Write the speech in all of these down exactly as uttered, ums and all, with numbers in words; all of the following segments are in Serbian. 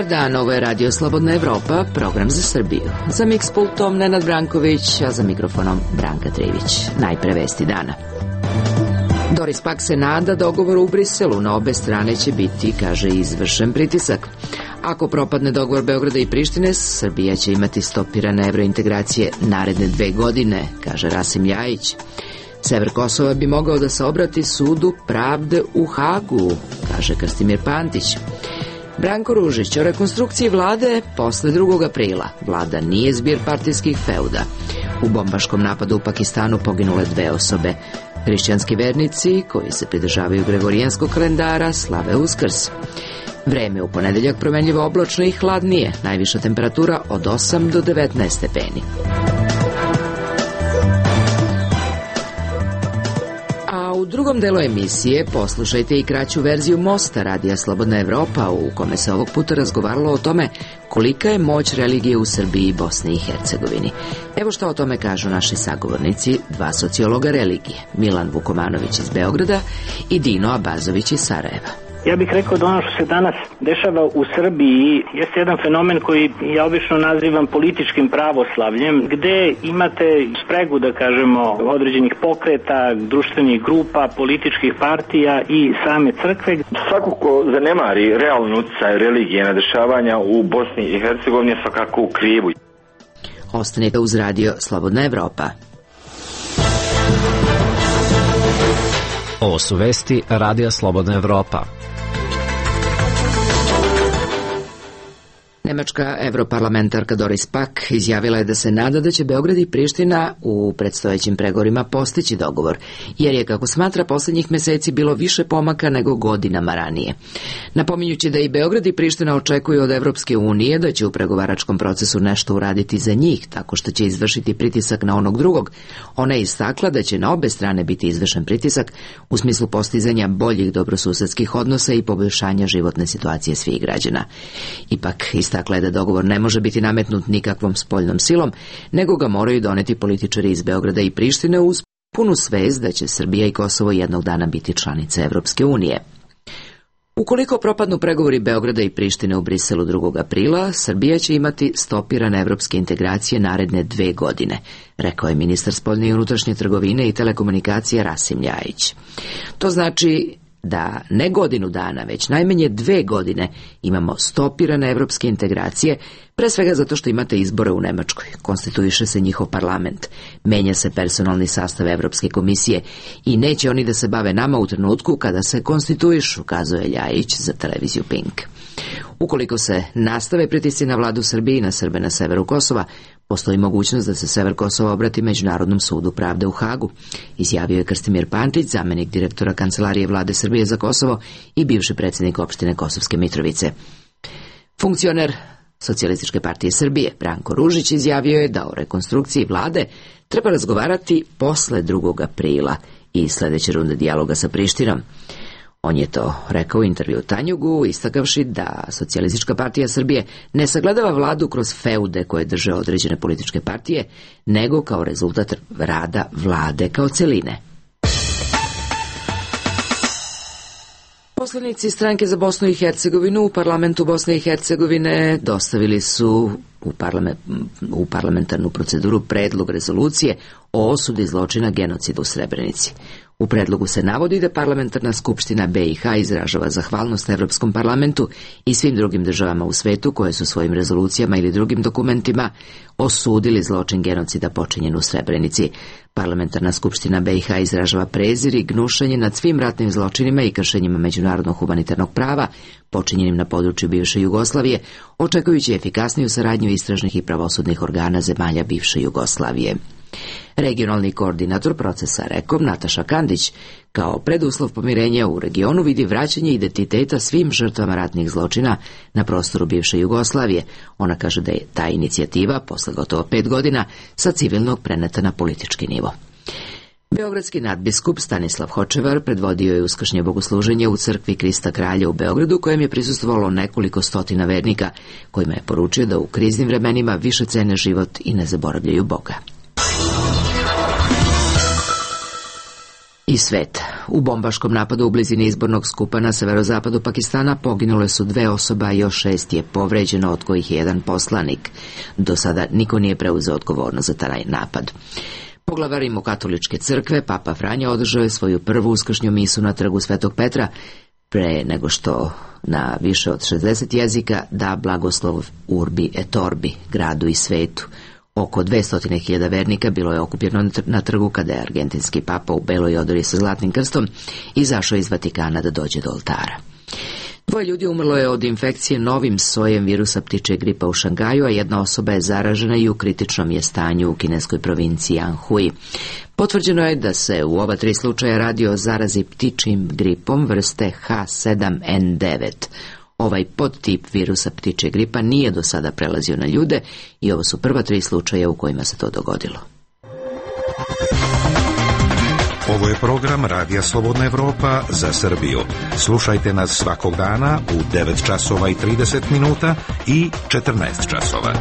Dobar dan, ovo je Radio Slobodna Evropa, program za Srbiju. Za miks pultom Nenad Branković, a za mikrofonom Branka Trivić. Najpre vesti dana. Doris Pack se nada dogovoru u Briselu, na obe strane će biti, kaže, izvršen pritisak. Ako propadne dogovor Beograda i Prištine, Srbija će imati stopirane evrointegracije naredne dve godine, kaže Rasim Ljajić. Sever Kosova bi mogao da se obrati sudu pravde u Hagu, kaže Krstimir Pantić. Branko Ružić o rekonstrukciji vlade posle drugog aprila. Vlada nije zbir partijskih feuda. U bombaškom napadu u Pakistanu poginule dve osobe. Hrišćanski vernici, koji se pridržavaju gregorijanskog kalendara, slave Uskrs. Vreme u ponedeljak promenljivo oblačno i hladnije. Najviša temperatura od osam do devetnaest stepeni. U drugom delu emisije poslušajte i kraću verziju Mosta Radija Slobodna Evropa, u kome se ovog puta razgovaralo o tome kolika je moć religije u Srbiji i Bosni i Hercegovini. Evo što o tome kažu naši sagovornici, dva sociologa religije, Milan Vukomanović iz Beograda i Dino Abazović iz Sarajeva. Ja bih rekao da ono što se danas dešava u Srbiji jeste jedan fenomen koji ja obično nazivam političkim pravoslavljem, gde imate spregu, da kažemo, određenih pokreta, društvenih grupa, političkih partija i same crkve. Svako ko zanemari realnu utjecaj religije na dešavanja u Bosni i Hercegovini je svakako u krivu. Ostanite uz Radio Slobodna Evropa. Ovo su vesti Radija Slobodna Evropa. Nemačka evroparlamentarka Doris Pack izjavila je da se nada da će Beograd i Priština u predstojećim pregovorima postići dogovor, jer je, kako smatra, posljednjih meseci bilo više pomaka nego godinama ranije. Napominjući da i Beograd i Priština očekuju od Evropske unije da će u pregovaračkom procesu nešto uraditi za njih, tako što će izvršiti pritisak na onog drugog, ona je istakla da će na obe strane biti izvršen pritisak u smislu postizanja boljih dobrosusedskih odnosa i poboljšanja životne situacije svih građana. Ipak, istakla je da dogovor ne može biti nametnut nikakvom spoljnom silom, nego ga moraju doneti političari iz Beograda i Prištine uz punu svest da će Srbija i Kosovo jednog dana biti članice Evropske unije. Ukoliko propadnu pregovori Beograda i Prištine u Briselu drugog aprila, Srbija će imati stopirane evropske integracije naredne dve godine, rekao je ministar spoljne i unutrašnje trgovine i telekomunikacije Rasim Ljajić. To znači da ne godinu dana, već najmanje dve godine imamo stopirane evropske integracije, pre svega zato što imate izbore u Nemačkoj, konstituiše se njihov parlament, menja se personalni sastav Evropske komisije i neće oni da se bave nama u trenutku kada se konstituišu, kazuje Ljajić za televiziju Pink. Ukoliko se nastave pritisci na vladu Srbije i na Srbe na severu Kosova, postoji mogućnost da se sever Kosova obrati Međunarodnom sudu pravde u Hagu, izjavio je Krstimir Pantić, zamenik direktora Kancelarije vlade Srbije za Kosovo i bivši predsjednik opštine Kosovske Mitrovice. Funkcioner Socijalističke partije Srbije Branko Ružić izjavio je da o rekonstrukciji vlade treba razgovarati posle drugog aprila i sledeće runde dijaloga sa Prištinom. On je to rekao u intervju Tanjugu, istakavši da Socijalistička partija Srbije ne sagledava vladu kroz feude koje drže određene političke partije, nego kao rezultat rada vlade kao celine. Poslanici Stranke za Bosnu i Hercegovinu u parlamentu Bosne i Hercegovine dostavili su u, parlament, u parlamentarnu proceduru predlog rezolucije o osudi zločina genocida u Srebrenici. U predlogu se navodi da parlamentarna skupština B i H izražava zahvalnost Evropskom parlamentu i svim drugim državama u svetu koje su svojim rezolucijama ili drugim dokumentima osudili zločin genocida počinjen u Srebrenici. Parlamentarna skupština B i H izražava prezir i gnušanje nad svim ratnim zločinima i kršenjima međunarodnog humanitarnog prava počinjenim na području bivše Jugoslavije, očekujući efikasniju saradnju istražnih i pravosudnih organa zemalja bivše Jugoslavije. Regionalni koordinator procesa Rekom Nataša Kandić kao preduslov pomirenja u regionu vidi vraćanje identiteta svim žrtvama ratnih zločina na prostoru bivše Jugoslavije. Ona kaže da je ta inicijativa, posle gotovo pet godina, sa civilnog preneta na politički nivo. Beogradski nadbiskup Stanislav Hočevar predvodio je uskršnje bogosluženje u crkvi Krista Kralja u Beogradu, kojem je prisustvovalo nekoliko stotina vernika, kojima je poručio da u kriznim vremenima više cene život i ne zaboravljaju Boga. I svet. U bombaškom napadu u blizini izbornog skupa na severozapadu Pakistana poginule su dve osobe, a još šest je povređeno, od kojih je jedan poslanik. Do sada niko nije preuzeo odgovornost za taj napad. Poglavar rimokatoličke crkve, Papa Franja, održao je svoju prvu uskršnju misu na trgu Svetog Petra, pre nego što na više od šezdeset jezika da blagoslov Urbi et Orbi, gradu i svetu. Oko dvesta hiljada vernika bilo je okupljeno na trgu kada je argentinski papa u beloj odori sa zlatnim krstom izašao iz Vatikana da dođe do oltara. Dvoje ljudi umrlo je od infekcije novim sojem virusa ptičjeg gripa u Šangaju, a jedna osoba je zaražena i u kritičnom je stanju u kineskoj provinciji Anhui. Potvrđeno je da se u oba tri slučaja radi o zarazi ptičjim gripom vrste H sedam N devet. Ovaj podtip virusa ptičjeg gripa nije do sada prelazio na ljude i ovo su prva tri slučaja u kojima se to dogodilo. Ovo je program Radija Slobodna Evropa za Srbiju. Slušajte nas svakog dana u devet časova i trideset minuta i četrnaest časova.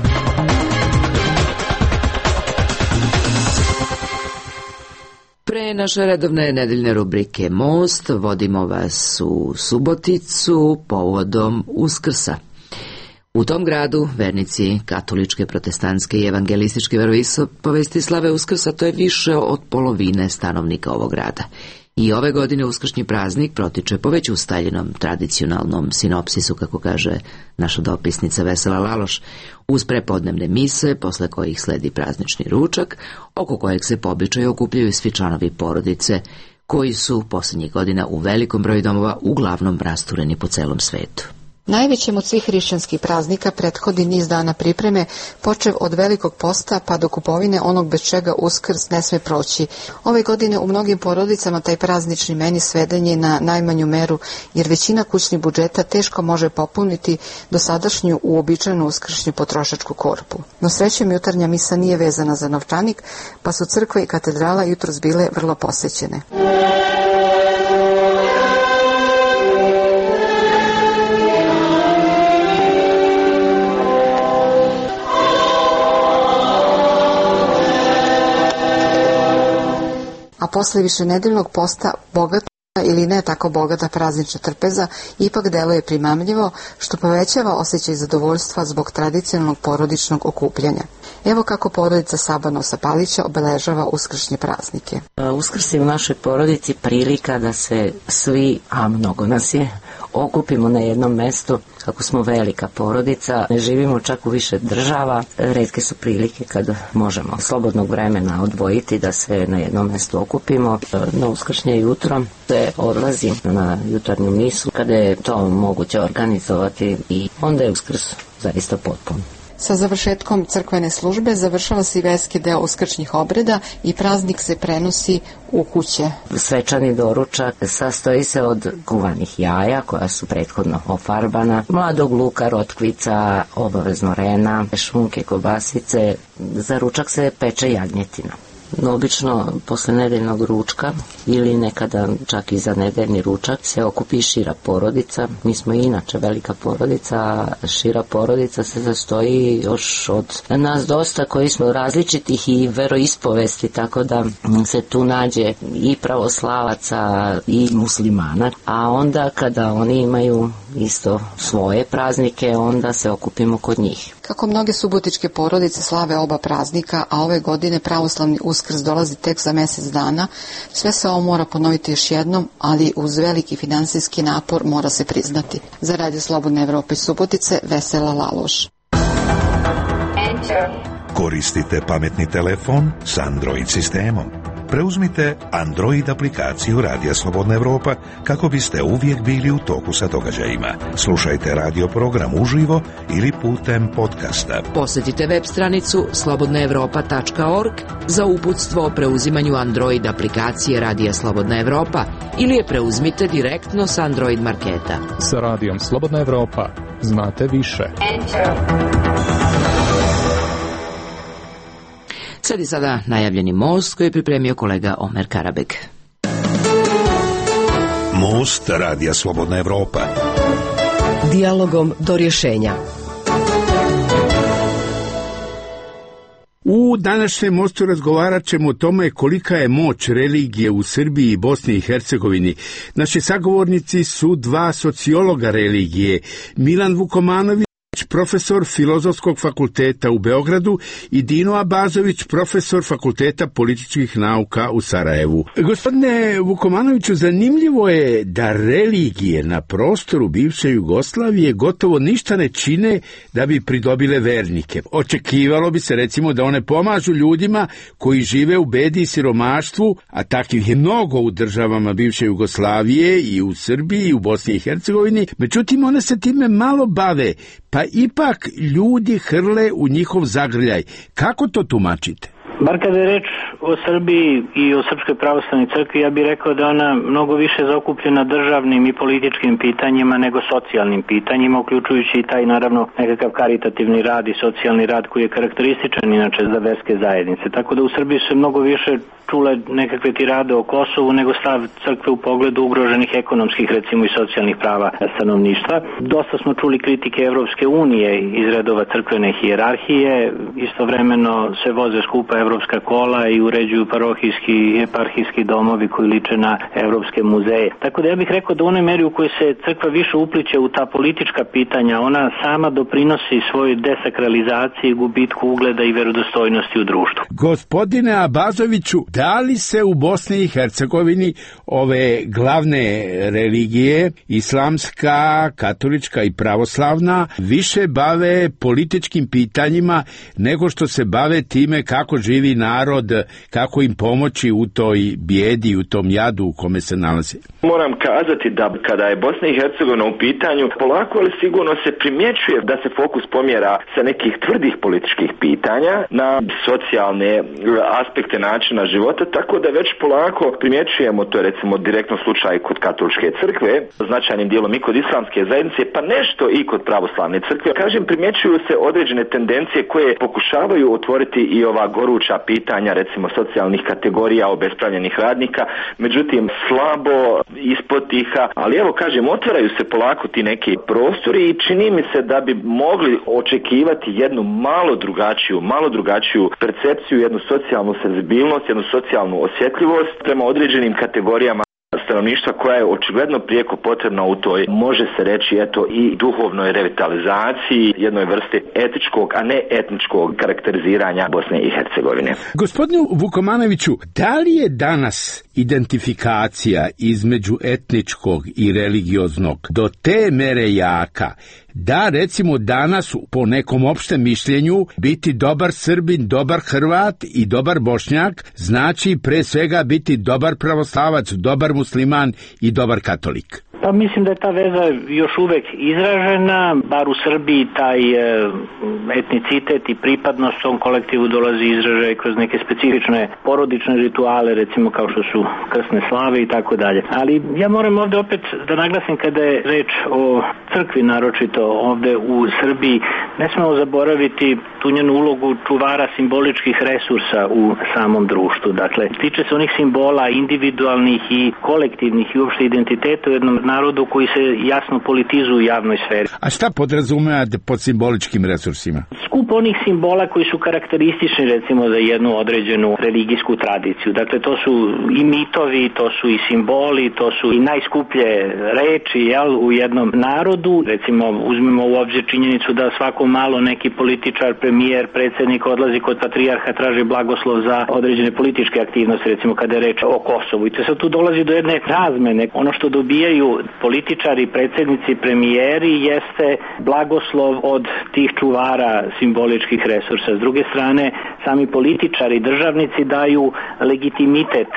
Pre naše redovne nedeljne rubrike Most vodimo vas u Suboticu povodom Uskrsa. U tom gradu vernici katoličke, protestantske i evangelističke veroispovesti slave Uskrsa, to je više od polovine stanovnika ovog grada. I ove godine uskršnji praznik protiče po već ustaljenom tradicionalnom sinopsisu, kako kaže naša dopisnica Vesela Laloš, uz prepodnevne mise, posle kojih sledi praznični ručak, oko kojeg se po običaju okupljaju svi članovi porodice, koji su posljednjih godina u velikom broju domova uglavnom rastureni po celom svetu. Najvećem od svih hrišćanskih praznika prethodi niz dana pripreme, počev od Velikog posta pa do kupovine onog bez čega Uskrs ne sme proći. Ove godine u mnogim porodicama taj praznični meni sveden je na najmanju meru, jer većina kućnih budžeta teško može popuniti dosadašnju uobičajenu uskršnju potrošačku korpu. No srećom, jutarnja misa nije vezana za novčanik, pa su crkve i katedrala jutros bile vrlo posećene. A posle višenedeljnog posta bogata ili ne tako bogata praznična trpeza ipak deluje primamljivo, što povećava osjećaj zadovoljstva zbog tradicionalnog porodičnog okupljanja. Evo kako porodica Sabanosa Palića obeležava uskršnje praznike. Uskrs je u našoj porodici prilika da se svi, a mnogo nas je, okupimo na jednom mestu. Kako smo velika porodica, ne živimo čak u više država, retke su prilike kad možemo slobodnog vremena odvojiti da se na jednom mestu okupimo. Na uskršnje jutro se odlazi na jutarnju misu kada je to moguće organizovati i onda je Uskrs zaista potpun. Sa završetkom crkvene službe završava se i verski deo uskršnjih obreda i praznik se prenosi u kuće. Svečani doručak sastoji se od kuvanih jaja koja su prethodno ofarbana, mladog luka, rotkvica, obavezno rena, šunke, kobasice. Za ručak se peče jagnjetina. No, obično posle nedeljnog ručka ili nekada čak i za nedeljni ručak se okupi šira porodica. Mi smo inače velika porodica, šira porodica se sastoji još od nas dosta koji smo različitih i veroispovesti, tako da se tu nađe i pravoslavaca i muslimana. A onda kada oni imaju isto svoje praznike, onda se okupimo kod njih. Kako mnoge subotičke porodice slave oba praznika, a ove godine pravoslavni Uskrs dolazi tek za mjesec dana, sve se ovo mora ponoviti još jednom, ali uz veliki finansijski napor mora se priznati. Za Radio Slobodne Evrope iz Subotice, Vesela Laloš. Koristite pametni telefon s Android sistemom. Preuzmite Android aplikaciju Radija Slobodna Evropa kako biste uvijek bili u toku sa događajima. Slušajte radio program uživo ili putem podcasta. Posjetite web stranicu slobodna evropa tačka org za uputstvo o preuzimanju Android aplikacije Radija Slobodna Evropa ili je preuzmite direktno s Android marketa. Sa Radijom Slobodna Evropa znate više. Sledi sada najavljeni most koji je pripremio kolega Omer Karabek. Most Radija Slobodna Evropa. Dijalogom do rješenja. U današnjem mostu razgovarat ćemo o tome kolika je moć religije u Srbiji i Bosni i Hercegovini. Naši sagovornici su dva sociologa religije, Milan Vukomanović, profesor Filozofskog fakulteta u Beogradu, i Dino Abazović, profesor Fakulteta političkih nauka u Sarajevu. Gospodine Vukomanoviću, zanimljivo je da religije na prostoru bivše Jugoslavije gotovo ništa ne čine da bi pridobile vernike. Očekivalo bi se recimo da one pomažu ljudima koji žive u bedi i siromaštvu, a takvih je mnogo u državama bivše Jugoslavije i u Srbiji i u Bosni i Hercegovini. Međutim, one se time malo bave, pa ipak ljudi hrle u njihov zagrljaj. Kako to tumačite? Bar kada je reč o Srbiji i o Srpskoj pravoslavnoj crkvi, ja bih rekao da ona mnogo više zaokupljena državnim i političkim pitanjima nego socijalnim pitanjima, uključujući i taj naravno nekakav karitativni rad i socijalni rad koji je karakterističan inače za verske zajednice. Tako da u Srbiji se mnogo više čule nekakve tirade o Kosovu nego stav crkve u pogledu ugroženih ekonomskih, recimo i socijalnih prava stanovništva. Dosta smo čuli kritike Evropske unije iz redova crkvene hijerarhije, istovremeno se voze skupa evropska kola i uređuju parohijski i eparhijski domovi koji liče na evropske muzeje. Tako da ja bih rekao da u onoj meri u kojoj se crkva više upliče u ta politička pitanja, ona sama doprinosi svojoj desakralizaciji, gubitku ugleda i verodostojnosti u društvu. Gospodine Abazoviću, da li se u Bosni i Hercegovini ove glavne religije, islamska, katolička i pravoslavna, više bave političkim pitanjima nego što se bave time kako živi narod, kako im pomoći u toj bijedi, u tom jadu u kome se nalazi? Moram kazati da kada je Bosna i Hercegovina u pitanju, polako ali sigurno se primjećuje da se fokus pomjera sa nekih tvrdih političkih pitanja na socijalne aspekte načina života, tako da već polako primjećujemo, to je recimo direktno slučaj kod katoličke crkve, značajnim dijelom i kod islamske zajednice, pa nešto i kod pravoslavne crkve. Kažem, primjećuju se određene tendencije koje pokušavaju otvoriti i ova goruća pitanja, recimo socijalnih kategorija, obespravljenih radnika, međutim slabo, ispod tiha, ali evo kažem, otvaraju se polako ti neki prostori i čini mi se da bi mogli očekivati jednu malo drugačiju, malo drugačiju percepciju, jednu socijalnu senzibilnost, jednu socijalnu osjetljivost prema određenim kategorijama stanovništva koja je očigledno prijeko potrebna u toj, može se reći, eto, i duhovnoj revitalizaciji, jednoj vrsti etičkog, a ne etničkog karakteriziranja Bosne i Hercegovine. Gospodinu Vukomanoviću, da li je danas identifikacija između etničkog i religioznog do te mere jaka da recimo danas po nekom opštem mišljenju biti dobar Srbin, dobar Hrvat i dobar Bošnjak znači pre svega biti dobar pravoslavac, dobar musliman i dobar katolik? Pa mislim da je ta veza još uvek izražena, bar u Srbiji taj e, etnicitet i pripadnost tom kolektivu dolazi izražaj kroz neke specifične porodične rituale, recimo kao što su krsne slave i tako dalje. Ali ja moram ovde opet da naglasim kada je reč o crkvi, naročito ovde u Srbiji, ne smemo zaboraviti tu njenu ulogu čuvara simboličkih resursa u samom društvu. Dakle, tiče se onih simbola individualnih i kolektivnih i uopšte identiteta u jednom narodu koji se jasno politizuju u javnoj sferi. A šta podrazumevate pod simboličkim resursima? Skup onih simbola koji su karakteristični recimo za jednu određenu religijsku tradiciju. Dakle, to su i mitovi, to su i simboli, to su i najskuplje reči, jel, u jednom narodu. Recimo, uzmemo u obzir činjenicu da svako malo neki političar, premijer, predsjednik odlazi kod patrijarha, traži blagoslov za određene političke aktivnosti, recimo kada je reč o Kosovu. I to sad tu dolazi do jedne razmene. Ono što dobijaju političari, predsjednici, premijeri jeste blagoslov od tih čuvara simboličkih resursa. S druge strane, sami političari, državnici daju legitimitet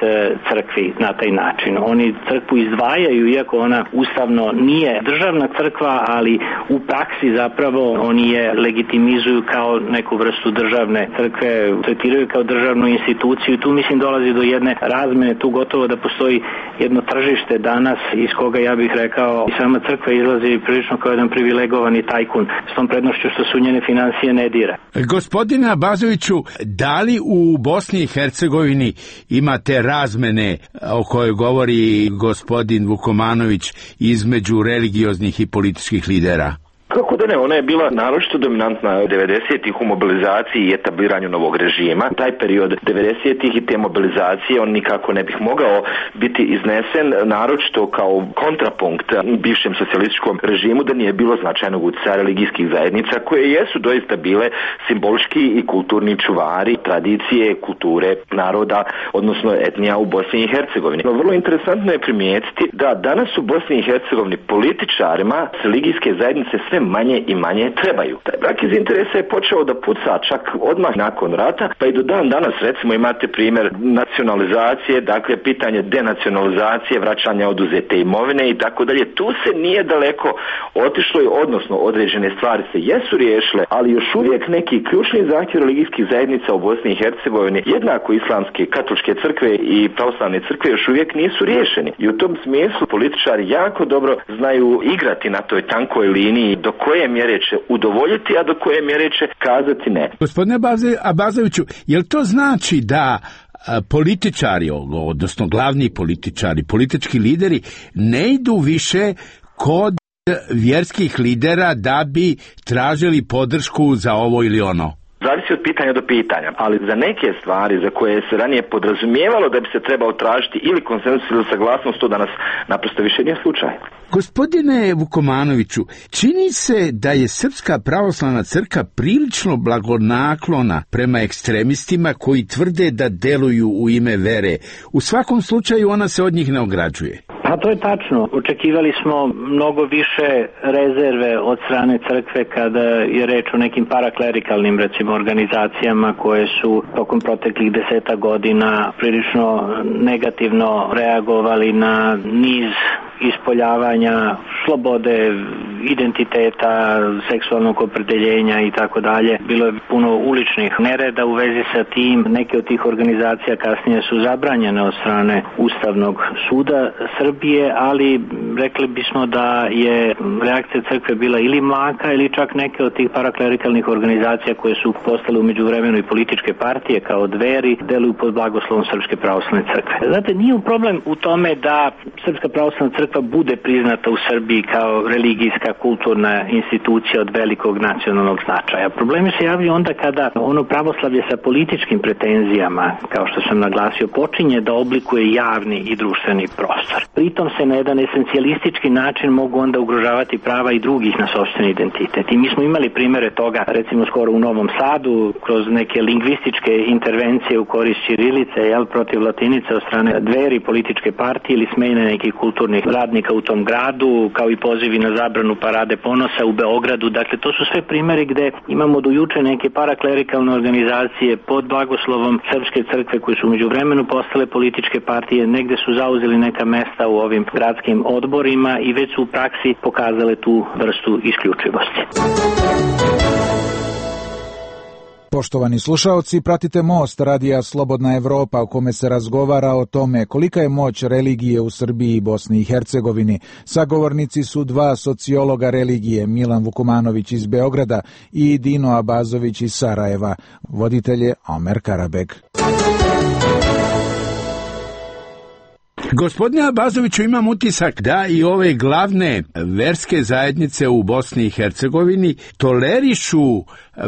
crkvi na taj način. Oni crkvu izdvajaju, iako ona ustavno nije državna crkva, ali u praksi zapravo oni je legitimizuju kao neku vrstu državne crkve, tretiraju kao državnu instituciju. Tu mislim dolazi do jedne razmene, tu gotovo da postoji jedno tržište danas iz koga ja bih rekao i sama crkva izlazi prilično kao jedan privilegovani tajkun s tom prednošću što su njene financije ne dira. Gospodine Abazoviću, da li u Bosni i Hercegovini imate razmene o kojoj govori gospodin Vukomanović između religioznih i političkih lidera? Kako da ne, ona je bila naročito dominantna devedesetih u mobilizaciji i etabliranju novog režima. Taj period devedesetih i te mobilizacije on nikako ne bih mogao biti iznesen naročito kao kontrapunkt bivšem socijalističkom režimu da nije bilo značajnog utjecaja religijskih zajednica koje jesu doista bile simbolički i kulturni čuvari tradicije, kulture naroda, odnosno etnija u Bosni i Hercegovini. No, vrlo interesantno je primijetiti da danas u Bosni i Hercegovini političarima religijske zajednice sve manje i manje trebaju. Taj brak iz interesa je počeo da puca čak odmah nakon rata, pa i do dan danas recimo imate primjer nacionalizacije, dakle pitanje denacionalizacije, vraćanja oduzete imovine i tako dalje. Tu se nije daleko otišlo, odnosno određene stvari se jesu riješile, ali još uvijek neki ključni zahtjev religijskih zajednica u Bosni i Hercegovini, jednako islamske, katoličke crkve i pravoslavne crkve još uvijek nisu riješeni. I u tom smislu političari jako dobro znaju igrati na toj tankoj liniji do koje mjere će udovoljiti, a do koje mjere će kazati ne. Gospodine Abazoviću, jel to znači da političari, odnosno glavni političari, politički lideri ne idu više kod vjerskih lidera da bi tražili podršku za ovo ili ono? Zavisi od pitanja do pitanja, ali za neke stvari za koje se ranije podrazumijevalo da bi se trebao tražiti ili konsenzus ili saglasnost, to danas naprosto više nije slučaj. Gospodine Vukomanoviću, čini se da je Srpska pravoslavna crkva prilično blagonaklona prema ekstremistima koji tvrde da deluju u ime vere. U svakom slučaju ona se od njih ne ograđuje. Pa to je tačno. Očekivali smo mnogo više rezerve od strane crkve kada je reč o nekim paraklerikalnim, recimo, organizacijama koje su tokom proteklih deseta godina prilično negativno reagovali na niz ispoljavanja slobode, identiteta, seksualnog opredeljenja i tako dalje. Bilo je puno uličnih nereda u vezi sa tim. Neke od tih organizacija kasnije su zabranjene od strane Ustavnog suda Srbije, ali rekli bismo da je reakcija crkve bila ili mlaka ili čak neke od tih paraklerikalnih organizacija koje su postale u međuvremenu i političke partije kao Dveri deluju pod blagoslovom Srpske pravoslavne crkve. Znate, nije problem u tome da Srpska pravoslavna crkva bude priznata u Srbiji kao religijska, kulturna institucija od velikog nacionalnog značaja. Problemi se javljaju onda kada ono pravoslavlje sa političkim pretenzijama, kao što sam naglasio, počinje da oblikuje javni i društveni prostor. Pritom se na jedan esencijalistički način mogu onda ugrožavati prava i drugih na sopstveni identitet. I mi smo imali primere toga, recimo skoro u Novom Sadu, kroz neke lingvističke intervencije u korist ćirilice, jel, protiv latinice od strane Dveri, političke partije ili smene nekih kulturnih radnika u tom gradu, kao i pozivi na zabranu parade ponosa u Beogradu. Dakle, to su sve primjeri gde imamo do juče neke paraklerikalne organizacije pod blagoslovom Srpske crkve koje su među vremenu postale političke partije, negde su zauzeli neka mesta u ovim gradskim odborima i već su u praksi pokazale tu vrstu isključivosti. Poštovani slušaoci, pratite Most radija Slobodna Evropa u kome se razgovara o tome kolika je moć religije u Srbiji i Bosni i Hercegovini. Sagovornici su dva sociologa religije, Milan Vukomanović iz Beograda i Dino Abazović iz Sarajeva. Voditelj je Omer Karabeg. Gospodine Abazoviću, imam utisak da i ove glavne verske zajednice u Bosni i Hercegovini tolerišu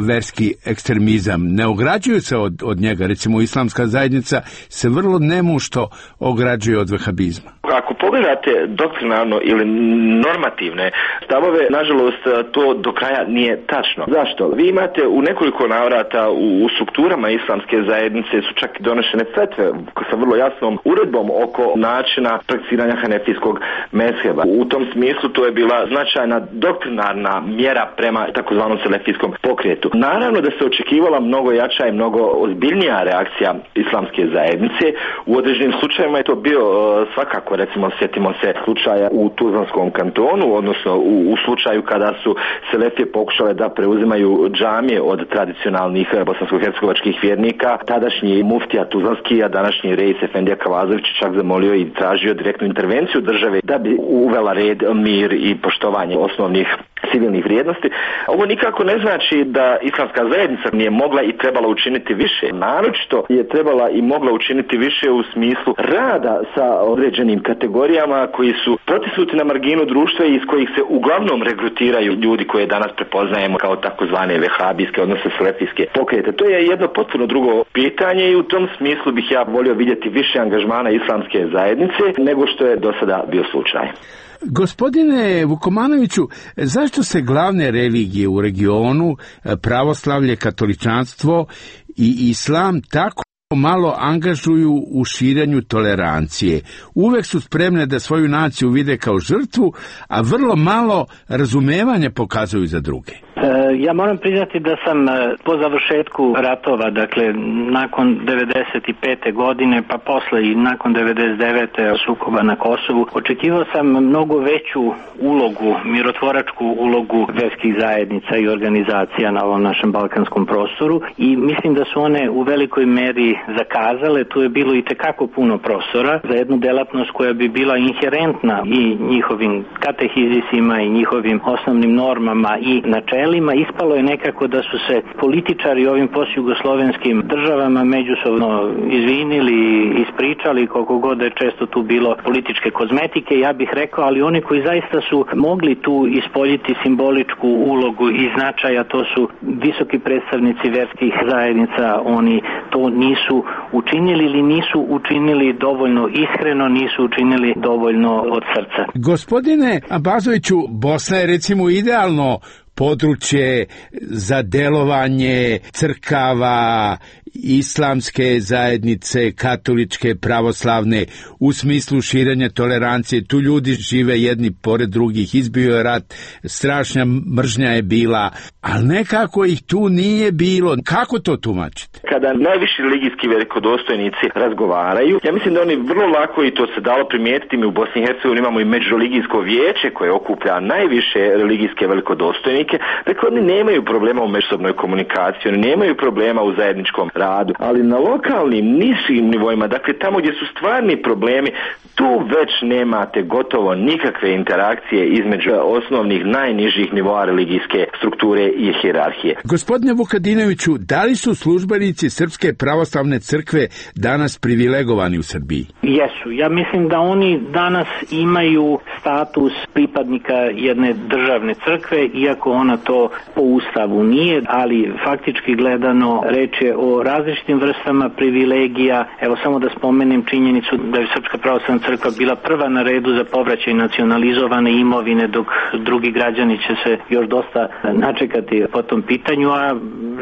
verski ekstremizam, ne ograđuju se od, od njega. Recimo, islamska zajednica se vrlo nemušto ograđuje od vehabizma. Ako pogledate doktrinarno ili normativne stavove, nažalost, to do kraja nije tačno. Zašto? Vi imate u nekoliko navrata u, u strukturama islamske zajednice su čak donešene fetve sa vrlo jasnom uredbom oko načina prakticiranja hanefijskog mezheba. U tom smislu to je bila značajna doktrinarna mjera prema takozvanom selefijskom pokretu. Naravno da se očekivala mnogo jača i mnogo ozbiljnija reakcija islamske zajednice. U određenim slučajevima je to bio svakako, recimo, sjetimo se slučaja u Tuzlanskom kantonu, odnosno u, u slučaju kada su selefije pokušale da preuzimaju džamije od tradicionalnih bosansko-hercegovačkih vjernika. Tadašnji muftija Tuzlanski, a današnji reis Efendija Kavazović čak zamolio i tražio direktnu intervenciju države da bi uvela red, mir i poštovanje osnovnih civilnih vrijednosti. Ovo nikako ne znači da islamska zajednica nije mogla i trebala učiniti više. Naročito je trebala i mogla učiniti više u smislu rada sa određenim kategorijama koji su potisnuti na marginu društva i iz kojih se uglavnom regrutiraju ljudi koje danas prepoznajemo kao takozvane vehabijske, odnosno selefijske pokrete. To je jedno potpuno drugo pitanje i u tom smislu bih ja volio vidjeti više angažmana islamske zajednice nego što je do sada bio slučaj. Gospodine Vukomanoviću, zašto se glavne religije u regionu, pravoslavlje, katoličanstvo i islam, tako malo angažuju u širenju tolerancije? Uvek su spremne da svoju naciju vide kao žrtvu, a vrlo malo razumevanja pokazuju za druge. Ja moram priznati da sam po završetku ratova, dakle nakon devedeset pete godine, pa posle i nakon devedeset devete sukoba na Kosovu, očekivao sam mnogo veću ulogu, mirotvoračku ulogu verskih zajednica i organizacija na ovom našem balkanskom prostoru i mislim da su one u velikoj meri zakazale. Tu je bilo i tekako puno prostora za jednu delatnost koja bi bila inherentna i njihovim katehizisima i njihovim osnovnim normama i načelima. Ispalo je nekako da su se političari ovim postjugoslovenskim državama međusobno izvinili, ispričali, koliko god je često tu bilo političke kozmetike, ja bih rekao, ali oni koji zaista su mogli tu ispoljiti simboličku ulogu i značaja, to su visoki predstavnici verskih zajednica, oni to nisu učinili ili nisu učinili dovoljno iskreno, nisu učinili dovoljno od srca. Gospodine Abazoviću, Bosna je recimo idealno područje za delovanje crkava, islamske zajednice, katoličke, pravoslavne, u smislu širenja tolerancije. Tu ljudi žive jedni pored drugih, izbio je rat, strašna mržnja je bila, ali nekako ih tu nije bilo. Kako to tumačite? Kada najviši religijski velikodostojnici razgovaraju, ja mislim da oni vrlo lako, i to se dalo primijetiti, mi u Bosni i Hercegovini imamo i međureligijsko vijeće koje okuplja najviše religijske velikodostojnike, dakle oni nemaju problema u međusobnoj komunikaciji, oni nemaju problema u zajedničkom radu, ali na lokalnim, nižim nivoima, dakle tamo gdje su stvarni problemi, tu već nemate gotovo nikakve interakcije između osnovnih najnižih nivoa religijske strukture i hijerarhije. Gospodine Vukadinoviću, da li su službenici Srpske pravoslavne crkve danas privilegovani u Srbiji? Jesu. Ja mislim da oni danas imaju status pripadnika jedne državne crkve, iako ona to po ustavu nije, ali faktički gledano reč je o različitim vrstama privilegija. Evo samo da spomenem činjenicu da je Srpska pravoslavna crkva bila prva na redu za povraćaj nacionalizovane imovine, dok drugi građani će se još dosta načekati po tom pitanju, a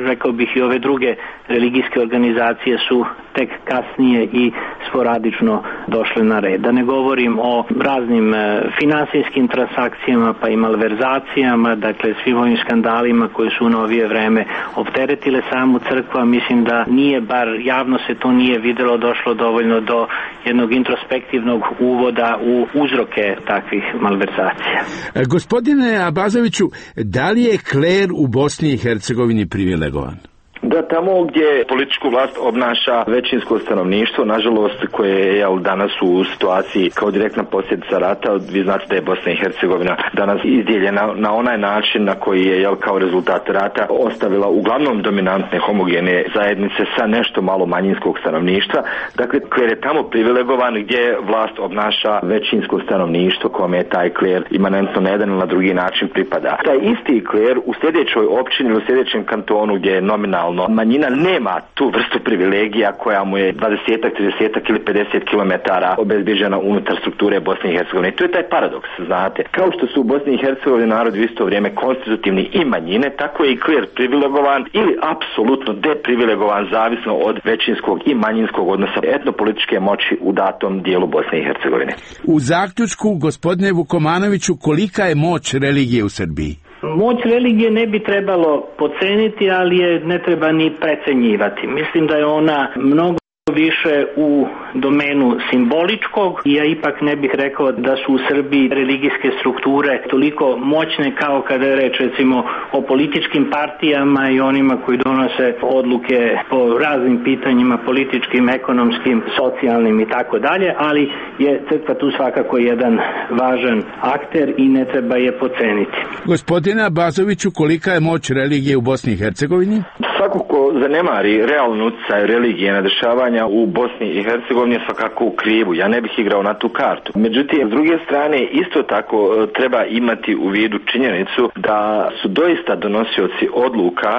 rekao bih i ove druge religijske organizacije su tek kasnije i sporadično došle na red. Da ne govorim o raznim finansijskim transakcijama pa i malverzacijama, dakle svim ovim skandalima koji su u novije vreme opteretile samu crkvu, a mislim da nije, bar javno se to nije videlo, došlo dovoljno do jednog introspektivnog uvoda u uzroke takvih malverzacija. Gospodine Abazoviću, da li je kler u Bosni i Hercegovini privilegovan? Da, tamo gdje političku vlast obnaša većinsko stanovništvo, nažalost, koje je jel, danas u situaciji kao direktna posljedica rata, vi znate da je Bosna i Hercegovina danas izdijeljena na onaj način na koji je jel, kao rezultat rata ostavila uglavnom dominantne homogene zajednice sa nešto malo manjinskog stanovništva. Dakle, kler je tamo privilegovan gdje vlast obnaša većinsko stanovništvo kome je taj kler imanentno na jedan ili na drugi način pripada. Taj isti kler u sljedećoj općini ili u sljedećem kantonu gdje je nominalno manjina nema tu vrstu privilegija koja mu je dvadeset, trideset ili pedeset kilometara obezbeđena unutar strukture Bosne i Hercegovine. I to je taj paradoks, znate. Kao što su u Bosni i Hercegovini narod u isto vrijeme konstitutivni i manjine, tako je i kler privilegovan ili apsolutno deprivilegovan zavisno od većinskog i manjinskog odnosa etnopolitičke moći u datom dijelu Bosne i Hercegovine. U zaključku, gospodine Vukomanoviću, kolika je moć religije u Srbiji? Moć religije ne bi trebalo podceniti, ali je ne treba ni precenjivati. Mislim da je ona mnogo više u domenu simboličkog i ja ipak ne bih rekao da su u Srbiji religijske strukture toliko moćne kao kada je reč recimo o političkim partijama i onima koji donose odluke po raznim pitanjima, političkim, ekonomskim, socijalnim i tako dalje, ali je crkva tu svakako jedan važan akter i ne treba je podceniti. Gospodine Abazoviću, kolika je moć religije u Bosni i Hercegovini? Svako ko zanemari realnu utjecaj religije na dešavanja u Bosni i Hercegovini je svakako u krivu. Ja ne bih igrao na tu kartu. Međutim, s druge strane, isto tako treba imati u vidu činjenicu da su doista donosioci odluka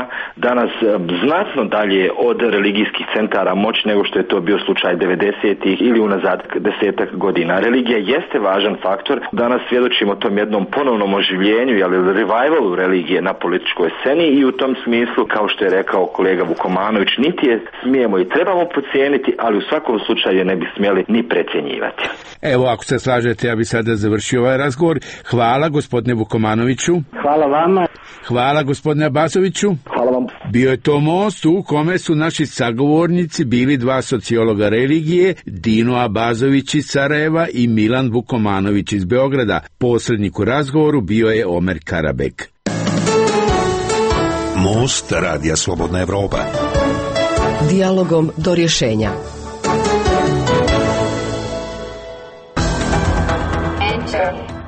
danas znatno dalje od religijskih centara moć nego što je to bio slučaj devedesetih ili unazad desetak godina. Religija jeste važan faktor. Danas svjedočimo tom jednom ponovnom oživljenju, ali revivalu religije na političkoj sceni i u tom smislu, kao što je rekao kolega Vukomanović, niti je smijemo i trebamo podcijeniti, ali u svakom slučaju ne bi smjeli ni precjenjivati. Evo, ako se slažete, ja bi sada završio ovaj razgovor. Hvala gospodine Vukomanoviću. Hvala vama. Hvala gospodine Abazoviću. Hvala vam. Bio je to most u kome su naši sagovornici bili dva sociologa religije, Dino Abazović iz Sarajeva i Milan Vukomanović iz Beograda. Posrednik u razgovoru bio je Omer Karabek. Most Radija Slobodna Evropa. Dijalogom do rješenja.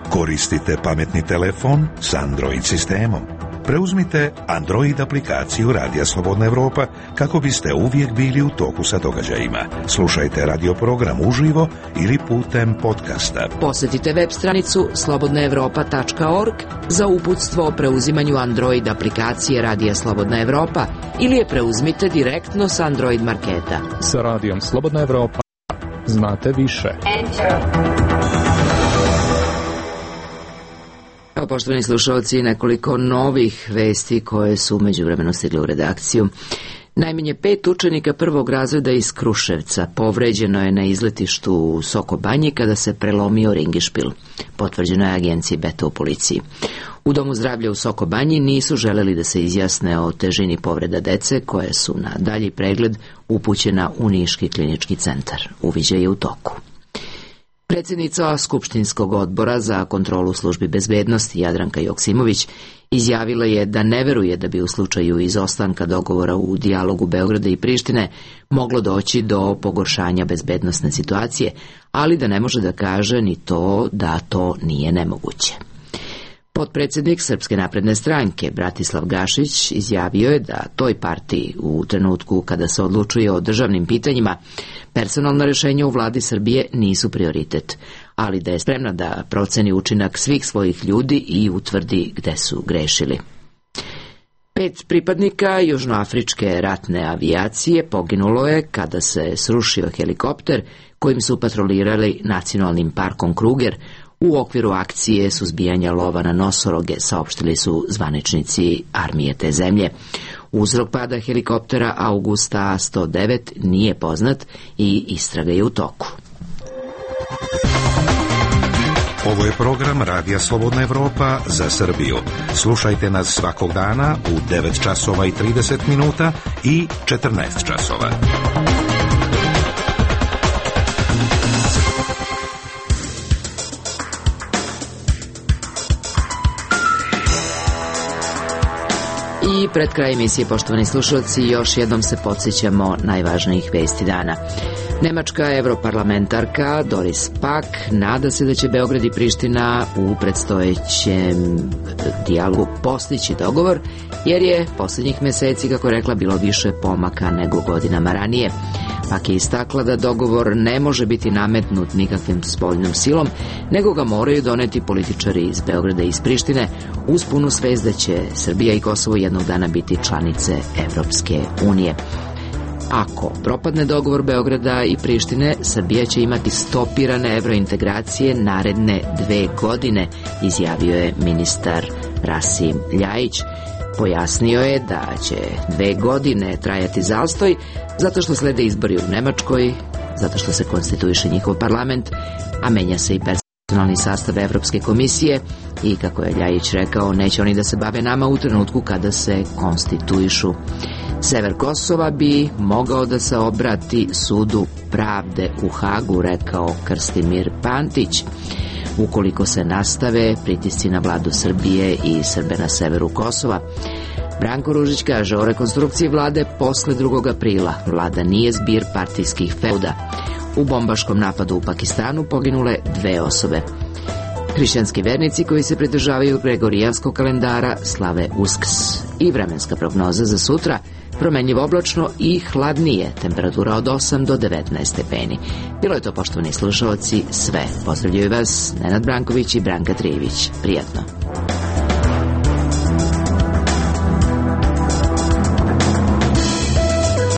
Koristite pametni telefon s Android sistemom. Preuzmite Android aplikaciju Radija Slobodna Evropa kako biste uvijek bili u toku sa događajima. Slušajte radio program uživo ili putem podcasta. Posjetite web stranicu slobodna evropa tačka org za uputstvo o preuzimanju Android aplikacije Radija Slobodna Evropa ili je preuzmite direktno s Android marketa. Sa Radijom Slobodna Evropa znate više. Evo, poštovani slušalci, nekoliko novih vesti koje su međuvremeno stigle u redakciju. Najmanje pet učenika prvog razreda iz Kruševca povređeno je na izletištu u Soko Banji kada se prelomio ringišpil. Potvrđeno je agenciji Beta u policiji. U Domu zdravlja u Soko Banji nisu želeli da se izjasne o težini povreda dece koje su na dalji pregled upućena u Niški klinički centar. Uviđaj je u toku. Predsjednica Skupštinskog odbora za kontrolu službi bezbednosti Jadranka Joksimović izjavila je da ne veruje da bi u slučaju izostanka dogovora u dijalogu Beograda i Prištine moglo doći do pogoršanja bezbednosne situacije, ali da ne može da kaže ni to da to nije nemoguće. Potpredsjednik Srpske napredne stranke Bratislav Gašić izjavio je da toj partiji u trenutku kada se odlučuje o državnim pitanjima personalna rješenja u vladi Srbije nisu prioritet, ali da je spremna da proceni učinak svih svojih ljudi i utvrdi gde su grešili. Pet pripadnika južnoafričke ratne avijacije poginulo je kada se srušio helikopter kojim su patrolirali nacionalnim parkom Kruger u okviru akcije suzbijanja lova na nosoroge, saopštili su zvaničnici armije te zemlje. Uzrok pada helikoptera Augusta sto devet nije poznat i istraga je u toku. Ovo je program Radija Slobodna Evropa za Srbiju. Slušajte nas svakog dana u devet časova i trideset minuta i četrnaest časova. I pred kraj emisije, poštovani slušalci, još jednom se podsjećamo najvažnijih vesti dana. Nemačka europarlamentarka Doris Pack nada se da će Beograd i Priština u predstojećem dijalogu postići dogovor, jer je posljednjih meseci, kako rekla, bilo više pomaka nego godinama ranije. Pak je istakla da dogovor ne može biti nametnut nikakvim spoljnom silom, nego ga moraju doneti političari iz Beograda i iz Prištine uz punu svest da će Srbija i Kosovo jednog dana biti članice Evropske unije. Ako propadne dogovor Beograda i Prištine, Srbija će imati stopirane evrointegracije naredne dve godine, izjavio je ministar Rasim Ljajić. Pojasnio je da će dve godine trajati zastoj zato što slede izbori u Nemačkoj, zato što se konstituiše njihov parlament, a menja se i personalni sastav Evropske komisije i, kako je Ljajić rekao, neće oni da se bave nama u trenutku kada se konstituišu. Sever Kosova bi mogao da se obrati sudu pravde u Hagu, rekao Krstimir Pantić, ukoliko se nastave pritisci na vladu Srbije i Srbe na severu Kosova. Branko Ružić kaže o rekonstrukciji vlade posle drugog aprila. Vlada nije zbir partijskih feuda. U bombaškom napadu u Pakistanu poginule dve osobe. Hrišćanski vernici koji se pridržavaju gregorijanskog kalendara slave Uskrs. I vremenska prognoza za sutra: promenljivo oblačno i hladnije, temperatura od osam do devetnaest stepeni. Bilo je to, poštovani slušalci, sve. Pozdravljaju vas Nenad Branković i Branka Trijević. Prijatno.